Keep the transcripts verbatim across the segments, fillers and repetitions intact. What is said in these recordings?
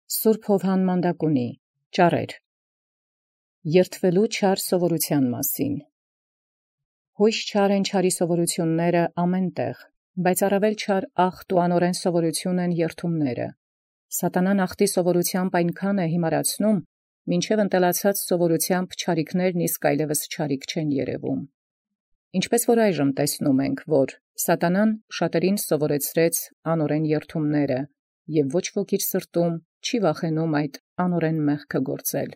Սուրբ Հովհան Մանդակունի ճառեր երթվելու չար սովորութեան մասին։ Հույս չար են չարի սովորութիւնները ամեն տեղ, բայց առավել չար աղտ ու անօրեն սովորութիւն են երթումները։ Սատանան աղտի սովորութեամբ այնքան է հիմարացնում, մինչև ընտելացած սովորութեամբ չարիքներն իսկ այլևս չարիք չեն երևում։ Ինչպես որ այժմ տեսնում ենք, որ Սատանան շատերին սովորեցրեց անօրեն երթումները, եւ ոչ ոք իր սրտում չի վախենում այդ անօրեն մեղքը գործել։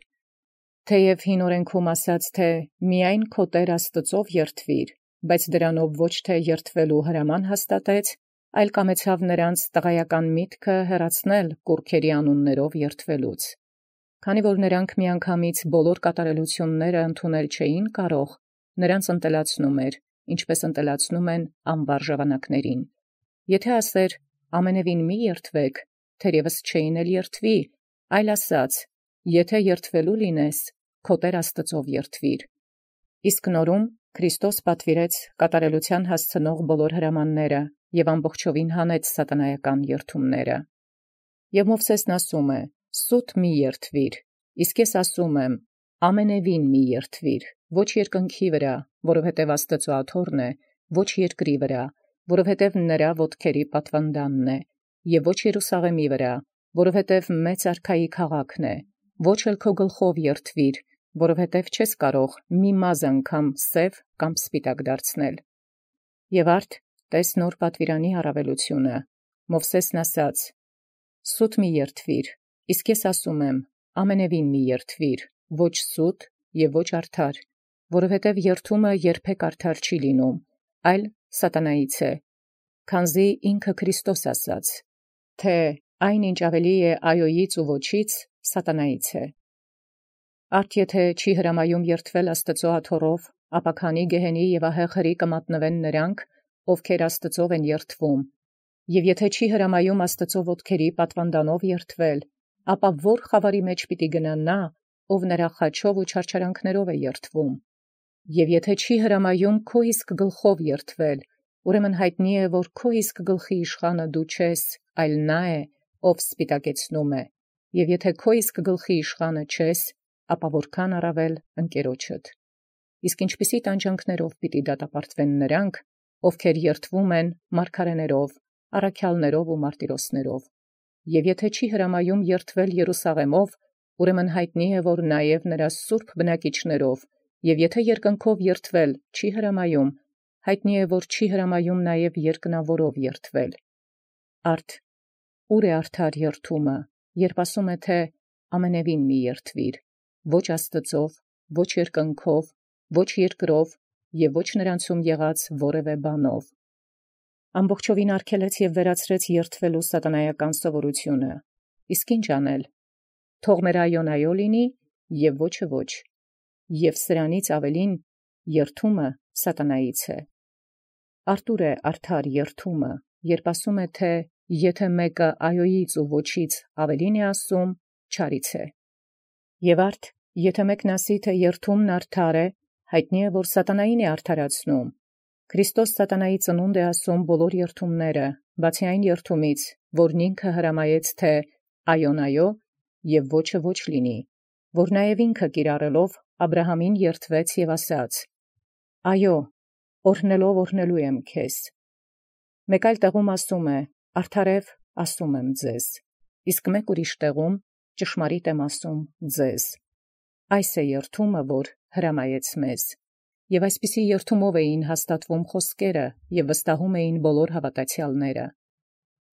Թեև հին օրենքում ասաց, թե միայն քո Տեր Աստծով երթվիր, բայց դրանով ոչ թե երթվելու հրաման հաստատեց, այլ կամեցավ նրանց տղայական միտքը հեռացնել կուռքերի անուններով երթվելուց։ Քանի որ նրանք միանգամից բոլոր կատարելությունները ընդունել չէին կարող, նրանց ընտելացնում էր, ինչպես ընտելացնում են անվար ժավանակներին։ Եթե ասեր ամենևին մի երթվեք, թերևս չէին էլ երթվի, այլ ասաց. եթե երթվելու լինես, քո Տեր Աստծով երթվիր։ Իսկ նորում Քրիստոս պատվիրեց կատարելության հասցնող բոլոր հրամանները եւ ամբողջովին հանեց սատանայական երթումները։ Եւ Մովսեսն ասում է. «Սուտ մի երթվիր», իսկ ես ասում եմ. «Ամենևին մի երթվիր, ոչ երկնքի վրա, որովհետև Աստծո աթոռն է, ոչ երկրի վրա, որովհետև նրա ոտքերի պատվանդանն է, եւ ոչ Երուսաղեմի վրա, որովհետև մեծ արքայի քաղաքն է, ոչ էլ քո գլխով երթվիր, որովհետև չես կարող մի մազ անգամ սև կամ սպիտակ դարձնել»։ Եւ արդ տես նոր պատվիրանի առավելությունը։ Մովսեսն ասաց. «Սուտ մի երթվիր», իսկ ես ասում եմ. «Ամենևին մի երթվիր, ոչ սուտ եւ ոչ արդար, որովհետև երթումը երբեք արդար չի լինում, այլ սատանայից է, քանզի ինքը Քրիստոս ասաց, թե այն ինչ ավելի է այոյից ու ոչից, սատանայից է»։ Արդ եթե չի հրամայում երթվել Աստծո աթոռով, ապա քանի գեհենի եւ ահեղ հրի կմատնվեն նրանք, ովքեր Աստծով են երթվում, եւ եթե չի հրամայում Աստծո ոտքերի պատվանդանով երթվել, ապա ո՞ր խավարի մեջ պիտի գնա նա, ով նրա խաչով ու չարչարանքներով է երթվում։ Եւ եթե չի հրամայում քո իսկ գլխով երթվել, ուրեմն հայտնի է, որ քո իսկ գլխի իշխանը դու չես, այլ նա է, ով սպիտակեցնում է, եւ եթե քո իսկ գլխի իշխանը չես, ապա որքան առավել ընկերոջդ։ Իսկ ինչպիսի տանջանքներով պիտի դատապարտվեն նրանք, ովքեր երթվում են մարգարեներով, առաքյալներով ու մարտիրոսներով։ Եվ եթե չի հրամայում երթվել Երուսաղեմով, ուրեմն հայտնի է, որ նաև նրա սուրբ բնակիչներով, եւ եթե երկնքով երթվել չի հրամայում, հայտնի է, որ չի հրամայում նաև երկնավորով երթվել։ Արդ ուր է արդար երթումը, երբ ասում է, թե ամենևին մի երթվիր, ոչ Աստծով, ոչ երկնքով, ոչ երկրով եւ ոչ նրանցում եղած որևէ բանով։ Ամբողջովին արգելեց եւ վերացրեց երթվելու սատանայական սովորությունը։ Իսկ ինչ անել։ Թող մեր այոն այո լինի եւ ոչը ոչ։ Եվ սրանից ավելին երթումը սատանայից է։ Արտուր է արդար երթումը, երբ ասում է, թե եթե մեկը այոյից ու ոչից ավելին է ասում, չարից է։ Եվ արդ, եթե մեկն ասի, թե երթումն արդար է, հայտնի է, որ սատանային է արդարացնում։ Քրիստոս սատանայի ծնունդ է ասում բոլոր երթումները, բացի այն երթումից, որն ինքը հրամայեց, թե այոն այո եւ ոչը ոչ լինի, որ նաև ինքը կիրառելով Աբրահամին երթվեց եւ ասաց. «Այո, օրհնելով օրհնելու եմ քեզ»։ Մեկ այլ տեղում ասում է. «Արդարև ասում եմ ձեզ», իսկ մեկ ուրիշ տեղում ճշմարիտ եմ ասում ձեզ։ Այս է երթումը, որ հրամայեց մեզ։ Եւ այսպիսի երթումով էին հաստատվում խոսքերը եւ վստահում էին բոլոր հավատացյալները։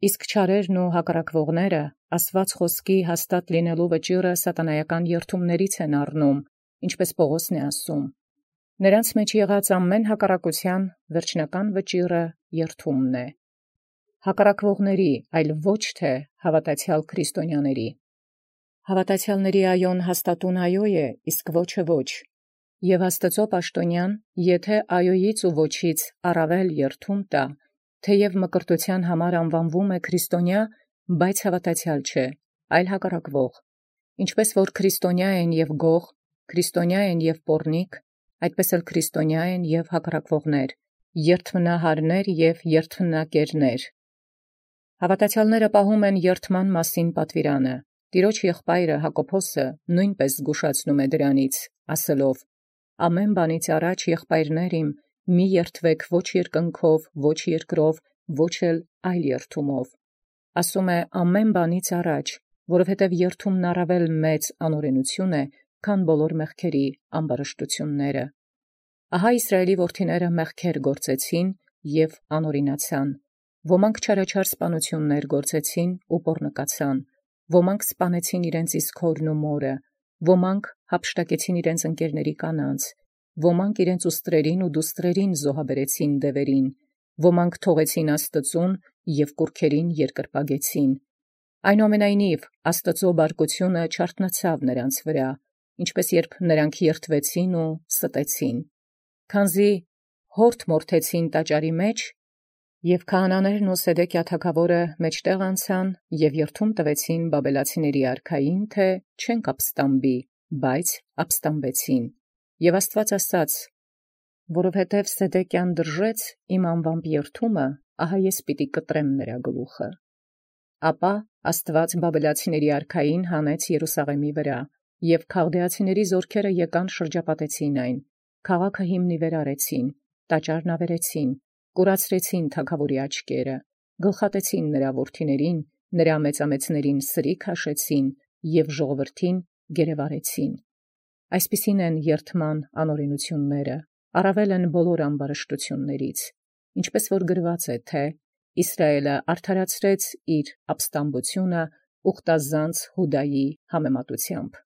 Իսկ չարերն ու հակառակվողները ասված խոսքի հաստատ լինելու վճիռը սատանայական երթումներից են առնում, ինչպես Պողոսն է ասում. նրանց մեջ եղած ամեն հակառակության վերջնական վճիռը երթումն է։ Հակառակվողների, այլ ոչ թե հավատացյալ քրիստոնյաների։ Հավատացյալների այոն հաստատուն այո է, իսկ ոչը ոչ։ Եվ Աստծո պաշտոնյան, եթե այոյից ու ոչից առավել երթում տա, թեև մկրտության համար անվանվում է քրիստոնյա, բայց հավատացյալ չէ, այլ հակառակվող։ Ինչպես որ քրիստոնյա են եւ գող, քրիստոնյա են եւ պոռնիկ, այդպես էլ քրիստոնյա են եւ հակառակվողներ, երթմնահարներ եւ երթմնակերներ։ Հավատացյալները պահում են երթման մասին պատվիրանը, Տիրոջ եղբայրը Հակոբոսը նույնպես զգուշացնում է դրանից, ասելով. «Ամեն բանից առաջ եղբայրներ իմ, մի երթվեք ոչ երկնքով, ոչ երկրով, ոչ էլ այլ երթումով»։ Ասում է ամեն բանից առաջ, որովհետև երթումն առավել մեծ անօրենություն է, քան բոլոր մեղքերի ամբարշտությունները։ Ահա Իսրայելի որդիները մեղքեր գործեցին և անօրինացան, ոմանք չարաչար սպանություններ գործեցին ու պոռնկացան, ոմանք սպանեցին իրենց իսկ հորն ու մորը, ոմանք հափշտակեցին իրենց ընկերների կանանց, ոմանք իրենց ուստրերին ու դուստրերին զոհաբերեցին դևերին, ոմանք թողեցին Աստծուն և կուռքերին երկրպագեցին։ Այնուամենայնիվ Աստծու բարկությունը չարթնացավ նրանց վրա, ինչպես երբ նրանք երթվեցին ու ստեցին։ Քանզի հորդ մորթեցին տաճարի մեջ, և քահանաներն ու Սեդեկիա թագաւորը մեջտեղ անցան և երթում տվեցին բաբելացիների արքային, թէ չենք ապստամբի, բայց ապստամբեցին։ Եւ Աստուած ասաց. «Որովհետև Սեդեկիան դրժեց իմ անվամբ երթումը, ահա ես պիտի կտրեմ նրա գլուխը»։ Ապա Աստուած բաբելացիների արքային հանեց Երուսաղեմի վրա, և քաղդեացիների զորքերը եկան շրջապատեցին այն, քաղաքը հիմնի վերարեցին, տաճարն ավերեցին, կուրացրեցին թագաւորի աչքերը, գլխատեցին նրա որդիներին, նրա մեծամեծներին սրիկ հաշեցին և ժողովրդին գերեվարեցին։ Այսպիսին են երթման անօրենությունները, առավել են բոլոր ամբարշտություններից, ինչպես որ գրված է, թե «Իսրայէլը արդարացրեց իր ապստամբությունը ուխտազանց Յուդայի համեմատությամբ»։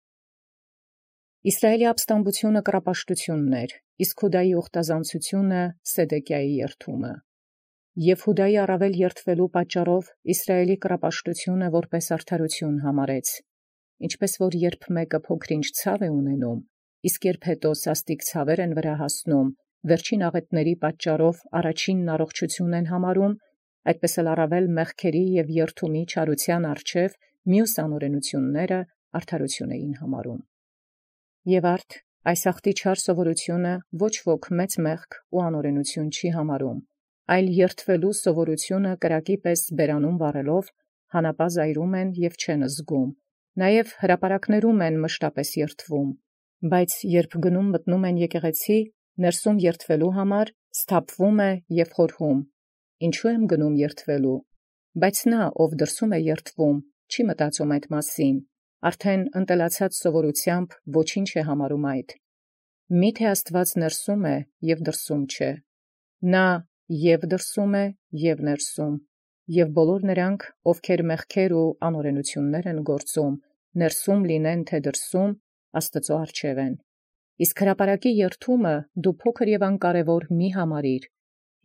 Իսրայէլի ապստամբությունը կռապաշտությունն էր, իսկ Յուդայի ուխտազանցությունը Սեդեկիայի երթումը։ Եւ Յուդայի առավել երթվելու պատճառով Իսրայէլի կռապաշտությունը որպես արդարություն համարեց, ինչպես որ երբ մեկը փոքրինչ ցավ է ունենում, իսկ երբ հետո սաստիկ ցավեր են վրա հասնում, վերջին աղետների պատճառով առաջինն առողջություն են համարում, այդպես էլ առավել մեղքերի և երթումի չարության առջև մյուս անօրենությունները արդարություն էին համարում։ Եւ արդ այս աղտի չար սովորությունը ոչ ոք մեծ մեղք ու անօրենություն չի համարում, այլ երթվելու սովորությունը կրակի պես բերանուն վառելով հանապազը այրում են և չեն զգում, նաև հրապարակներում են մշտապես երթվում, բայց երբ գնում մտնում են եկեղեցի, ներսում երթվելու համար սթափվում է և խորհում. «Ինչու եմ գնում երթվելու», բայց նա, ով դրսում է երթվում, չի մտածում այդ մասին, արդեն ընտելացած սովորութեամբ ոչինչ է համարում այդ։ Միթե Աստուած ներսում է և դրսում չէ։ Նա և դրսում է և ներսում, և բոլոր նրանք, ովքեր մեղքեր ու անօրենություններ են գործում, ներսում լինեն թե դրսում, Աստծու առջև են։ Իսկ հրապարակի երթումը դու փոքր և անկարևոր մի համարիր,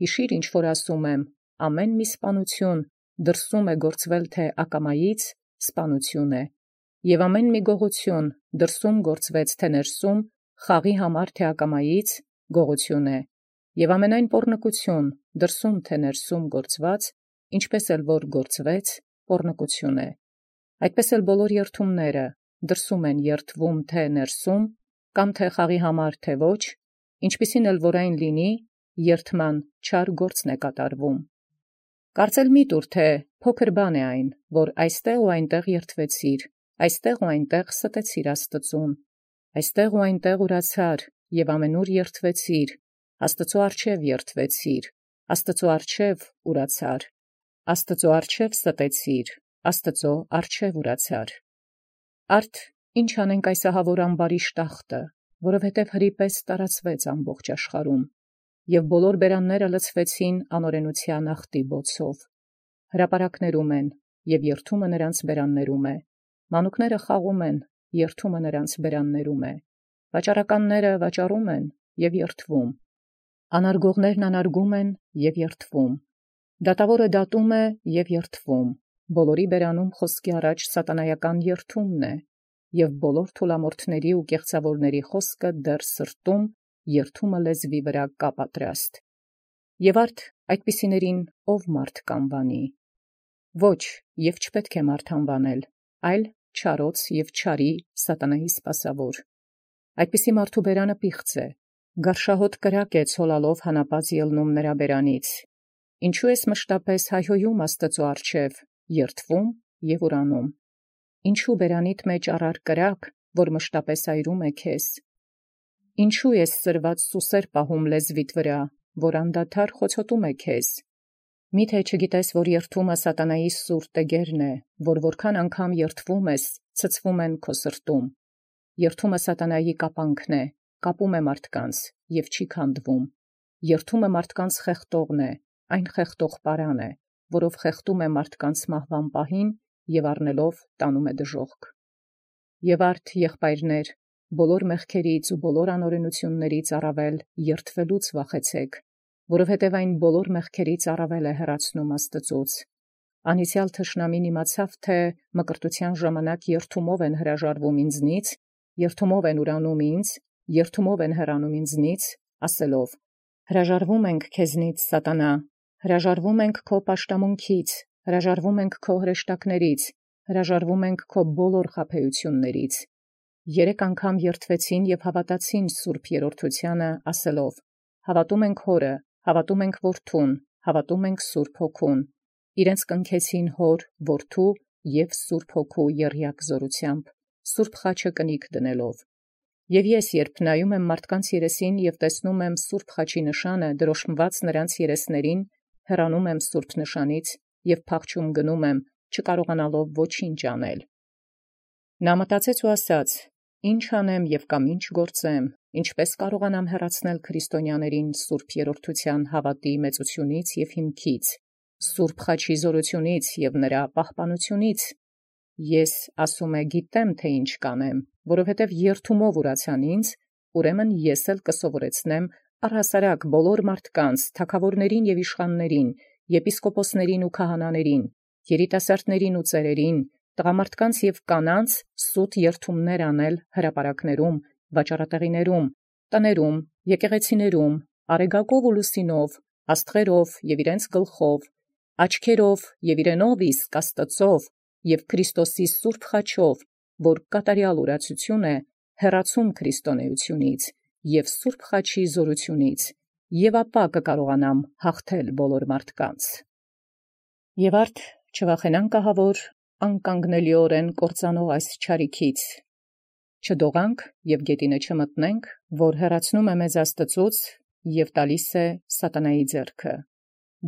հիշիր ինչ որ ասում եմ, ամեն մի սպանություն դրսում է գործվել թե ակամայից, սպանություն է, և ամեն մի գողություն դրսում գործվեց թե ներսում, խաղի համար թե ակամայից, գողություն է, և ամենայն պոռնկություն դրսում թե ներսում գործված, ինչպես էլ որ գործվեց, պոռնկություն է։ Այդպես էլ բոլոր երթումները դրսում են երթվում թե ներսում, կամ թե խաղի համար թե ոչ, ինչպիսին էլ որ այն լինի, երթման չար գործն է կատարվում։ Կարծել մի՛ տուր, թե փոքր բան է այն, որ այստեղ ու այնտեղ երթվեցիր, այստեղ ու այնտեղ ստեցիր Աստծուն, այստեղ ու այնտեղ ուրացար և ամենուր երթվեցիր, Աստծու առջև երթվեցիր, Աստծու առջև ուրացար, Աստծու առջև ստեցիր, Աստծու առջև ուրացար։ Արդ ի՞նչ անենք այս ահավոր ամբարիշ տախտը, որովհետև հրի պես տարածվեց ամբողջ աշխարհում, և բոլոր բերանները լցվեցին անօրենության աղտի բոցով։ Հրապարակներում են, և երթումը նրանց բերաններում է, մանուկները խաղում են, երթումը նրանց բերաններում է, վաճառականները վաճառում են և երթվում, անարգողներն անարգում են և երթվում, դատավորը դատում է և երթվում, բոլորի բերանում խոսքի առաջ սատանայական երթումն է, և բոլոր թուլամորթների ու կեղծավորների խոսքը դեռ սրտում երթումը լեզվի վրա կա պատրաստ։ Եւ արդ այդպիսիներին ո՞վ մարդ կանվանի։ Ոչ, և չպետք է մարդ անվանել, այլ չարոց և չարի սատանայի սպասավոր։ Այդպիսի մարդու բերանը պիղծ է, գարշահոտ կրակ է ցոլալով հանապած ելնում նրա բերանից։ Ինչու ես մշտապես հայհոյում Աստծու առջև, երթվում և ուրանում։ Ինչու բերանիդ մեջ առար կրակ, որ մշտապես այրում է քեզ։ Ինչու ես սրված սուսեր պահում լեզվիդ վրա, որ անդադար խոցոտում է քեզ։ Միթե չգիտես, որ երթումը սատանայի սուր տեգերն է, որ որքան անգամ երթվում ես, ցցվում են քո սրտում։ Երթումը սատանայի կապանքն է, կապում է մարդկանց և չի քանդվում։ Երթումը մարդկանց խեղտողն է, այն խեղտող պարան է, որով խեղտում է մարդկանց մահվան պահին և առնելով տանում է դժոխք։ Եվ արդ եղբայրներ, բոլոր մեղքերից ու բոլոր անօրենություններից առավել երթվելուց վախեցեք, որովհետև այն բոլոր մեղքերից առավել է հեռացնում Աստծուց։ Անիցյալ թշնամին իմացավ, թե մկրտության ժամանակ երթումով են հրաժարվում ինձնից, երթումով են ուրանում ինձ, երթումով են հեռանում ինձնից, ասելով. հրաժարվում ենք քեզնից, սատանա, հրաժարվում ենք քո պաշտամունքից, հրաժարվում ենք քո հրեշտակներից, հրաժարվում ենք քո բոլոր խաբեություններից։ Երեք անգամ երթվեցին և հավատացին Սուրբ Երրորդությանը, ասելով. հավատում ենք Հորը, հավատում ենք Որդուն, հավատում ենք Սուրբ Հոգուն։ Իրենց կնքեցին Հոր, Որդու և Սուրբ Հոգու եռյակ զորությամբ, Սուրբ խաչը կնիք դնելով։ Եվ ես, երբ նայում եմ մարդկանց երեսին և տեսնում եմ Սուրբ խաչի նշանը դրոշմված նրանց երեսներին, հեռանում եմ Սուրբ նշանից և փախչում գնում եմ, չկարողանալով ոչինչ անել։ Նա մտածեց ու ասաց. ի՞նչ անեմ և կամ ի՞նչ գործեմ, ինչպե՞ս կարողանամ հեռացնել քրիստոնյաներին Սուրբ Երրորդության հավատի մեծությունից և հիմքից, Սուրբ խաչի զորությունից և նրա պահպանությունից։ Ես, ասում է, գիտեմ, թե ինչ կանեմ, որովհետև երթումով ուրացան ինձ, ուրեմն ես էլ կսովորեցնեմ առհասարակ բոլոր մարդկանց, թագավորներին և իշխաններին, եպիսկոպոսներին ու քահանաներին, երիտասարդներին ու ծերերին, տղամարդկանց և կանանց սուտ երթումներ անել հրապարակներում, վաճառատեղիներում, տներում, եկեղեցիներում, արեգակով ու լուսինով, աստղերով և իրենց գլխով, աչքերով և իրենով իսկ Աստծով և Քրիստոսի սուրբ խաչով, որ կատարյալ ուրացություն է, հեռացում քրիստոնեությունից և Սուրբ խաչի զորությունից, և ապա կկարողանամ հաղթել բոլոր մարդկանց։ Եվ արդ չվախենանք ահավոր անկանգնելիորեն կործանող այս չարիքից, չդողանք և գետինը չմտնենք, որ հեռացնում է մեզ Աստծուց և տալիս է սատանայի ձեռքը,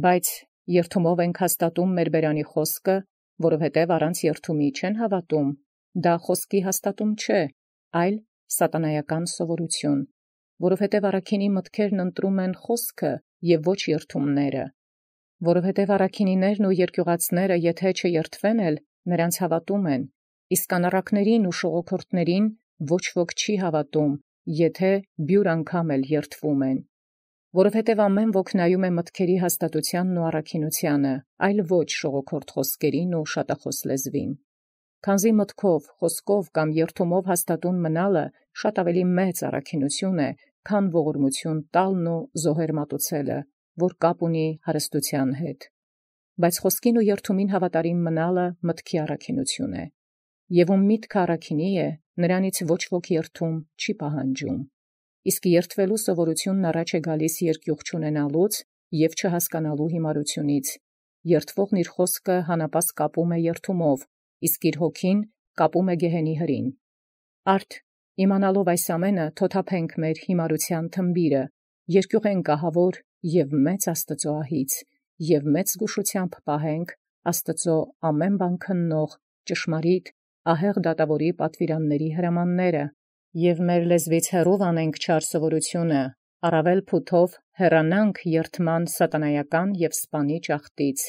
բայց երթումով ենք հաստատում մեր բերանի խոսքը, որովհետև առանց երթումի չեն հավատում, դա խոսքի հաստատում չէ, այլ սատանայական սովորություն, որովհետև առաքինի մտքերն ընտրում են խոսքը և ոչ երթումները, որովհետև առաքինիներն ու երկյուղածները եթե չերթվեն էլ, նրանց հավատում են, իսկ անառակներին ու շողոքորթներին ոչ ոք չի հավատում, եթե բյուր անգամ էլ երթվում են, որովհետև ամեն ոք նայում է մտքերի հաստատությանն ու առաքինությանը, այլ ոչ շողոքորթ խոսքերին ու շատախոս լեզվին։ Քանզի մտքով, խոսքով կամ երթումով հաստատուն մնալը շատ ավելի մեծ առաքինություն է, քան ողորմություն տալն ու զոհեր մատուցելը, որ կապ ունի հարստության հետ։ Բայց խոսքին ու երթումին հավատարիմ մնալը մտքի առաքինություն է, և ում միտքը առաքինի է, նրանից ոչ ոք երթում չի պահանջում։ Իսկ երթվելու սովորությունն առաջ է գալիս երկյուղ չունենալուց և չհասկանալու հիմարությունից։ Երթվողն իր խոսքը հանապաս կապում է երթումով, իսկ իր հոգին կապում է գեհենի հրին։ Արդ իմանալով այս ամենը, թոթափենք մեր հիմարության թմբիրը, երկյուղենք ահավոր և մեծ Աստծո ահից, և մեծ զգուշությամբ պահենք Աստծո ամեն բան քննող, ճշմարիտ, ահեղ դատավորի պատվիրանների հրամանները, և մեր լեզվից հեռու անենք չար սովորությունը, առավել փութով հեռանանք երթման սատանայական և սպանի ճախտից։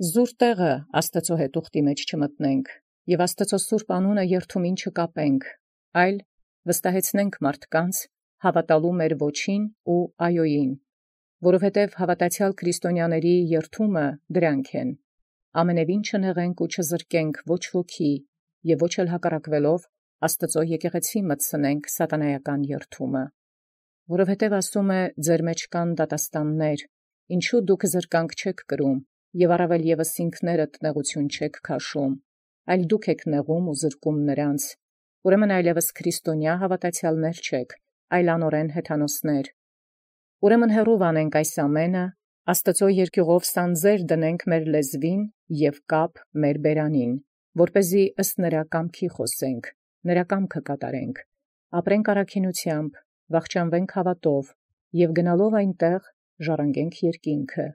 Զուր տեղը Աստծո հետ ուխտի մեջ չմտնենք, և Աստծո սուրբ անունը երթումին չկապենք, այլ վստահեցնենք մարդկանց, հավատալու մեր ոչին ու այոյին, որովհետև հավատացյալ քրիստոնյաների երթումը դրանք են. ամենևին չնեղենք ու չզրկենք ոչ ոքի, և ոչ էլ հակառակվելով Աստծո եկեղեցի մտցնենք սատանայական երթումը։ Որովհետև ասում է. «Ձեր մեջ կան դատաստաններ, ինչու դուք զրկանք չեք կրում, և առավել ևս ինքներդ նեղություն չեք քաշում, այլ դուք եք նեղում ու զրկում նրանց, ուրեմն այլևս քրիստոնյա հավատացյալներ չեք, այլ անօրեն հեթանոսներ։ Ուրեմն հեռու անենք այս ամենը, Աստծո երկյուղով սանձեր դնենք մեր լեզվին և կապ մեր բերանին, որպեսզի ըստ նրա կամքի խոսենք, նրա կամքը կատարենք, ապրենք առաքինութեամբ, վախճանվենք հավատով, և գնալով այնտեղ ժառանգենք երկինքը,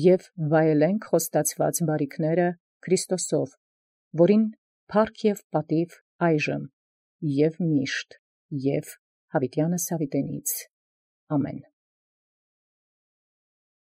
և վայելենք խոստացված բարիքները Քրիստոսով, որին փառք և պատիւ այժմ և միշտ և յաւիտյանս յաւիտենից։ Ամեն։